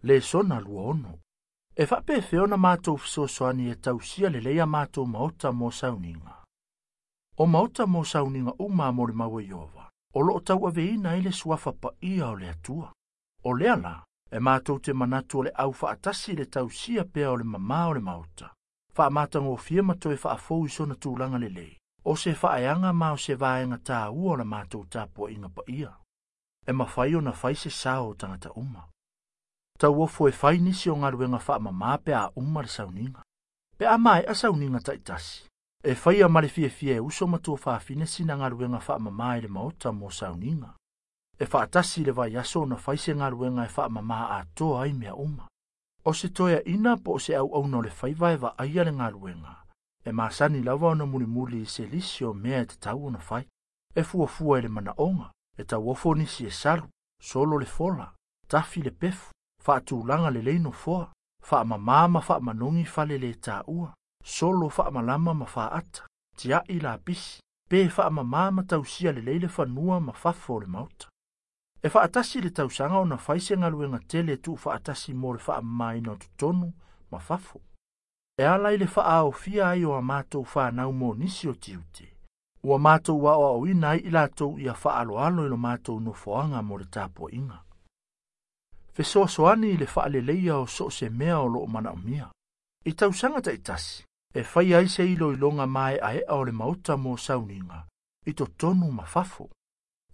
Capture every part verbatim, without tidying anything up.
Lesona lua ono. E faapefea ona matou fesoasoani e tausia lelei a matou maota mo sauniga. O maota mo sauniga uma mo le mau e Ieova, o loo tauaveina ai le suafa paia o le Atua. O lea la, e matou te manatu o le au faatasi le tausia pea o le mamā o le maota. Faamatagofie ma toe faafou i sona tulaga lelei. O se faaeaga ma o se vaega tāua o la matou tapuaiga paia. E mafai ona fai se sao o tagata uma. Tauofo e fai nisi o galuega faamamā pe a uma le sauniga. Pe a maea sauniga taitasi. E faia ma le fiafia e uso ma tuafafine sina galuega faamamā i le maota mo sauniga. E faatasi le vaiaso ona fai se galuega e faamamā atoa ai mea uma. O se toeaina po o se auauna o le faiva e vaaia le galuega. E masani lava ona mulimuli i se lisi o mea e tatau ona fai. E fuafua i le manaoga, e tauofo nisi e salu, solo le fola, tafi le pefu, faatulaga lelei nofoa, faamamā ma faamanogi fale le taua, solo faamalama ma faaata, tiai lapisi, pe faamamā ma tausia lelei le fanua ma fafo o le maota. E faatasi le tausaga ona fai se galuega tele e tuufaatasi mo le faamamaina o totonu ma fafo. E ala i le faaaofia ai o a matou fanau mo nisi o tiute. Ua matou aoaoina ai i latou ia faaloalo i lo matou nofoaga mo le tapuaiga. Fesoasoani i le faaleleia o so o se mea o loo manaomia. I tausaga taitasi, e fai ai se iloiloga maeaea o le maota mo sauniga, i totonu ma fafo.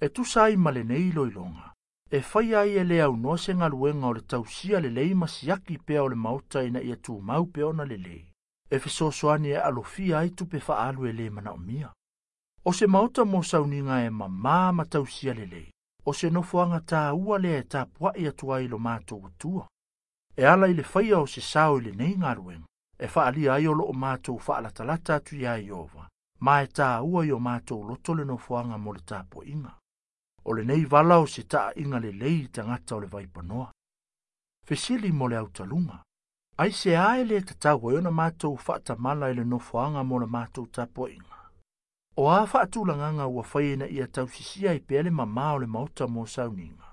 E tusa ai ma lenei iloiloga. E fai ai e le aunoa se galuega o le tausia lelei ma siaki pea o le maota ina ia tumau pea ona lelei. E fesoasoani e alofia ai tupe faaalu e le manaomia. O se maota mo sauniga e mamā ma tausia lelei. O se nofoaga tāua lea e tapuai atu ai lo matou atua. E ala i le faia o se sao i lenei galuega. E faalia ai o loo matou faalatalata atu iā Ieova, ma e tāua i o matou loto le nofoaga mo le tapuaiga. O lenei vala o se taaiga lelei i tagata o le vaipanoa. Fesili mo le autaluga. Ai se a e le tatau ai ona matou faatamala i le nofoaga mo le matou tapuaiga. O a faatulagaga ua fai ina ia tausisia ai pea le mamā o le maota mo sauniga.